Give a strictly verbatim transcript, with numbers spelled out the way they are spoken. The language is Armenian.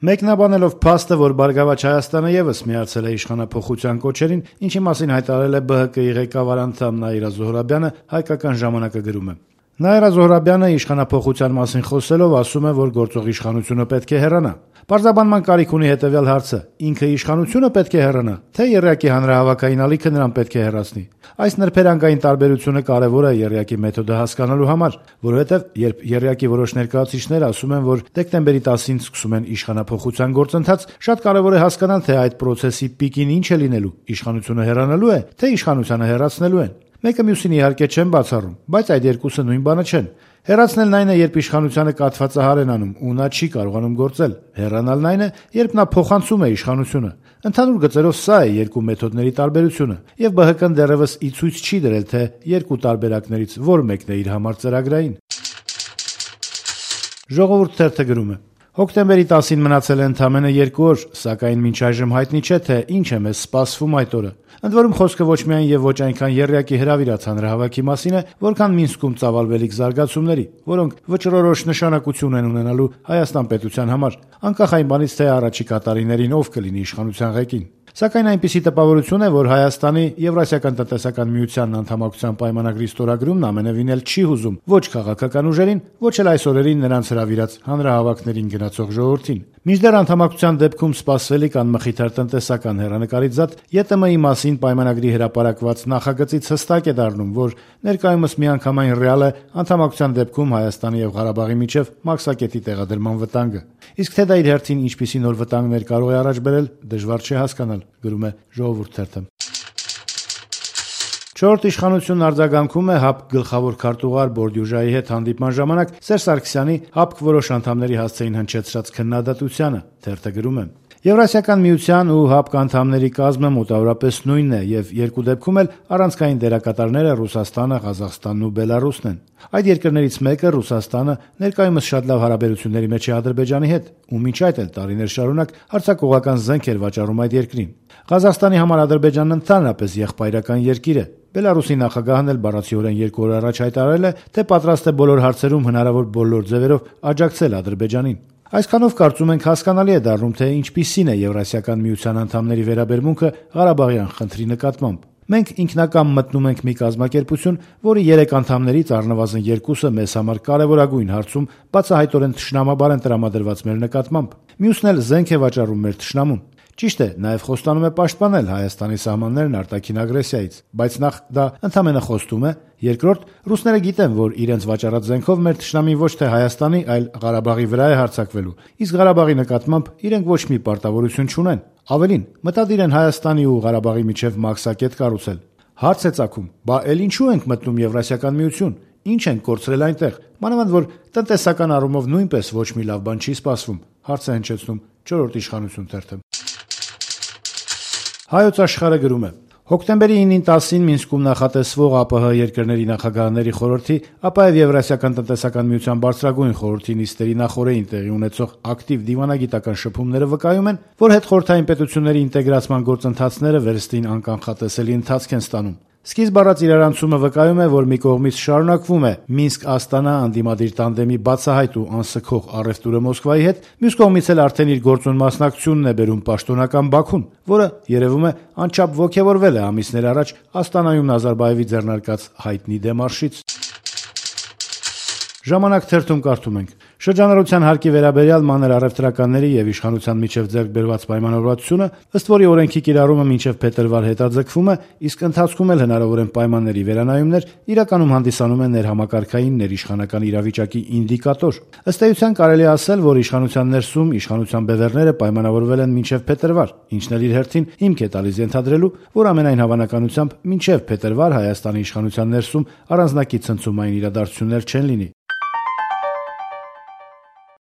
Մեկնաբանելով փաստը, որ Բարգավաճ Հայաստանը ևս միացել է իշխանափոխության կոչերին, ինչի մասին հայտարարել է B H K-ի ղեկավար անդամ Նաիրա Զոհրաբյանը, «Հայկական ժամանակը» գրում է. Նաիրա Զոհրաբյանը իշխանափոխության մասին խոսելով ասում է, որ գործող իշխանությունը պետք է հեռանա։ Պարզաբանման կարիք ունի հետևյալ հարցը. ինքը իշխանությունը պետք է հեռանա, թե եռյակի հանրահավաքային ալիքը նրան պետք է հեռացնի։ Այս նրբերանգային տարբերությունը կարևոր է եռյակի մեթոդը հասկանալու համար, որովհետև երբ եռյակի որոշ ներկայացուցիչներ ասում են, որ դեկտեմբերի տասին սկսում են իշխանափոխության գործընթաց, շատ կարևոր է հասկանալ, թե այդ պրոցեսի պիկին ինչ է լինելու՝ իշխանությունը հեռանալու է, թե իշխանությանը հեռացնելու են։ Մեկը մյուսին իհարկե չեն բացառում, բայց այդ երկուսը նույն բանը չեն։ Հեռացնելն այն է, երբ իշխանությանը կաթվածահար են անում ու նա չի կարողանում գործել։ Հեռանալն այն է, երբ նա փոխանցում է իշխանությունը։ Ընդհանուր գծերով սա է երկու մեթոդների տարբերությունը, եւ B H K-ն դեռևս ի ցույց չի դրել, թե երկու տարբերակներից որ մեկն է իր համար ծրագրային։ Ժողովուրդ թերթը գրում է. Հոկտեմբերի տասին մնացել է ընդամենը երկու օր, սակայն մինչ այժմ հայտնի չէ, թե ինչ է մեզ սպասվում այդ օրը։ Ընդ որում խոսքը ոչ միայն եւ ոչ այնքան եռյակի հրավիրած հանրահավաքի մասին է, որքան Մինսկում ծավալվելիք զարգացումների, որոնք վճռորոշ նշանակություն են ունենալու Հայաստան պետության համար, անկախ այն բանից, թե առաջիկա տարիներին ով կլինի իշխանության ղեկին։ Սակայն այնպիսի տպավորություն է, որ Հայաստանի Եվրասիական տնտեսական միության անդամակցության պայմանագրի ստորագրումն ամենևին էլ չի հուզում ոչ քաղաքական ուժերին, ոչ էլ այս օրերին նրանց հրավիրած հանրահավաքներին գնացող ժողովրդին։ Մինչդեռ անդամակցության դեպքում սպասվելիք անմխիթար տնտեսական հեռանկարից զատ Ե Տ Մ-ի մասին պայմանագրի հրապարակված նախագծից հստակ է դառնում, որ ներկայումս միանգամայն ռեալ է անդամակցության դեպքում Հայաստանի եւ Ղարաբաղի միջև մաքսակետի տեղադրման վտանգը։ Իսկ թե դա իր հերթին ինչպիսի նոր վտանգներ կարող է առաջ բերել, դժվար չէ հասկանալ, գրում է Ժողովուրդ թերթը։ Չորրորդ իշխանությունն արձագանքում է ՀԱՊԿ գլխավոր քարտուղար Բորդյուժայի հետ հանդիպման ժամանակ Սերժ Սարգսյանի ՀԱՊԿ որոշ անդամների հասցեին հնչեցրած քննադատությանը։ Թերթը գրում է. Եվրասիական միության ու ՀԱՊԿ անդամների կազմը մոտավորապես նույնն է եւ երկու դեպքում էլ առանցքային դերակատարները Ռուսաստանը, Ղազախստանն ու Բելարուսն են։ Այդ երկրներից մեկը Ռուսաստանը ներկայումս շատ լավ հարաբերությունների մեջ է Ադրբեջանի հետ, ու մինչ այդ էլ տարիներ շարունակ հարձակողական զենք էր վաճառում այդ երկրին։ Ղազախստանի համար Ադրբեջանն ընդհանրապես եղբայրական երկիր է։ Բելարուսի նախագահն էլ բառացիորեն երկու օր առաջ հայտարարել է, թե պատրաստ է բոլոր հարցերում հնարավոր բոլոր ձևերով աջակցել Ադրբեջանին։ Այսքանով կարծում ենք հասկանալի է դառնում, թե ինչպիսին է Եվրասիական միության անդամների վերաբերմունքը Ղարաբաղյան խնդրի նկատմամբ։ Մենք ինքնակամ մտնում ենք մի կազմակերպություն, որի երեք անդամներից առնվազն երկուսը մեզ համար կարևորագույն հարցում բացահայտորեն թշնամաբար են տրամադրված մեր նկատմամբ։ Մյուսն էլ զենք է վաճառում մեր թշնամուն։ Ճիշտ է, նաև խոստանում է պաշտպանել Հայաստանի սահմաններն արտաքին ագրեսիայից, բայց նախ դա ընդհանրապես խոստում է, երկրորդ, ռուսները գիտեն, որ իրենց վաճառած զենքով մեր թշնամին ոչ թե Հայաստանի, այլ Ղարաբաղի վրա է հարձակվելու, իսկ Ղարաբաղի նկատմամբ իրենք ոչ մի պարտավորություն չունեն։ Ավելին, մտադիր են Հայաստանի ու Ղարաբաղի միջև մաքսակետ կառուցել։ Հարց է ծագում, բա էլ ինչու ենք մտնում Եվրասիական միություն, ինչ են կորցրել այնտեղ, մանավանդ որ տնտեսական առումով նույնպես ոչ մի լավ բան չի սպասվում, հարց է հնչեցնում չորրորդ իշխանություն թերթը։ Հայոց Աշխարհը գրում է. Հոկտեմբերի ինին տասին Մինսկում նախատեսվող ԱՊՀ երկրների նախագահների խորհրդի, ապա եւ Եվրասիական տնտեսական միության բարձրագույն խորհրդի նիստերի նախօրեին տեղի ունեցող ակտիվ դիվանագիտական շփումները վկայում են, որ հետխորհրդային պետությունների ինտեգրացման գործընթացները վերստին անկանխատեսելի ընթացք են ստանում։ Սկիզբ առած իրարանցումը վկայում է, որ մի կողմից շարունակվում է Մինսկ-Աստանա անդիմադիր տանդեմի բացահայտ ու անսքող առևտուրը Մոսկվայի հետ, մյուս կողմից էլ արդեն իր գործուն մասնակցությունն է բերում պաշտոնական Բաքուն, որը երևում է անչափ ոգևորվել է ամիսներ առաջ Աստանայում Նազարբաևի ձեռնարկած հայտնի դեմարշից։ Ժամանակ թերթում կարդում ենք. Շրջանառության հարկի վերաբերյալ մանր առևտրականների եւ իշխանության միջև ձեռք բերված պայմանավորվածությունը, ըստ որի օրենքի կիրառումը մինչեւ փետրվար հետաձգվում է, իսկ ընթացքում էլ հնարավոր են պայմանների վերանայումներ, իրականում հանդիսանում են ներհամակարգային ներիշխանական իրավիճակի ինդիկատոր։ Ըստ էության կարելի է ասել, որ իշխանության ներսում իշխանության բևեռները պայմանավորվել են մինչեւ փետրվար, ինչն էլ իր հերթին հիմք է տալիս ենթադրելու, որ ամենայն հավանականությամբ մինչեւ փետրվար Հայաստանի իշխանության ներսում առանձնակի ցնցումային իրադարձություններ չեն լինի։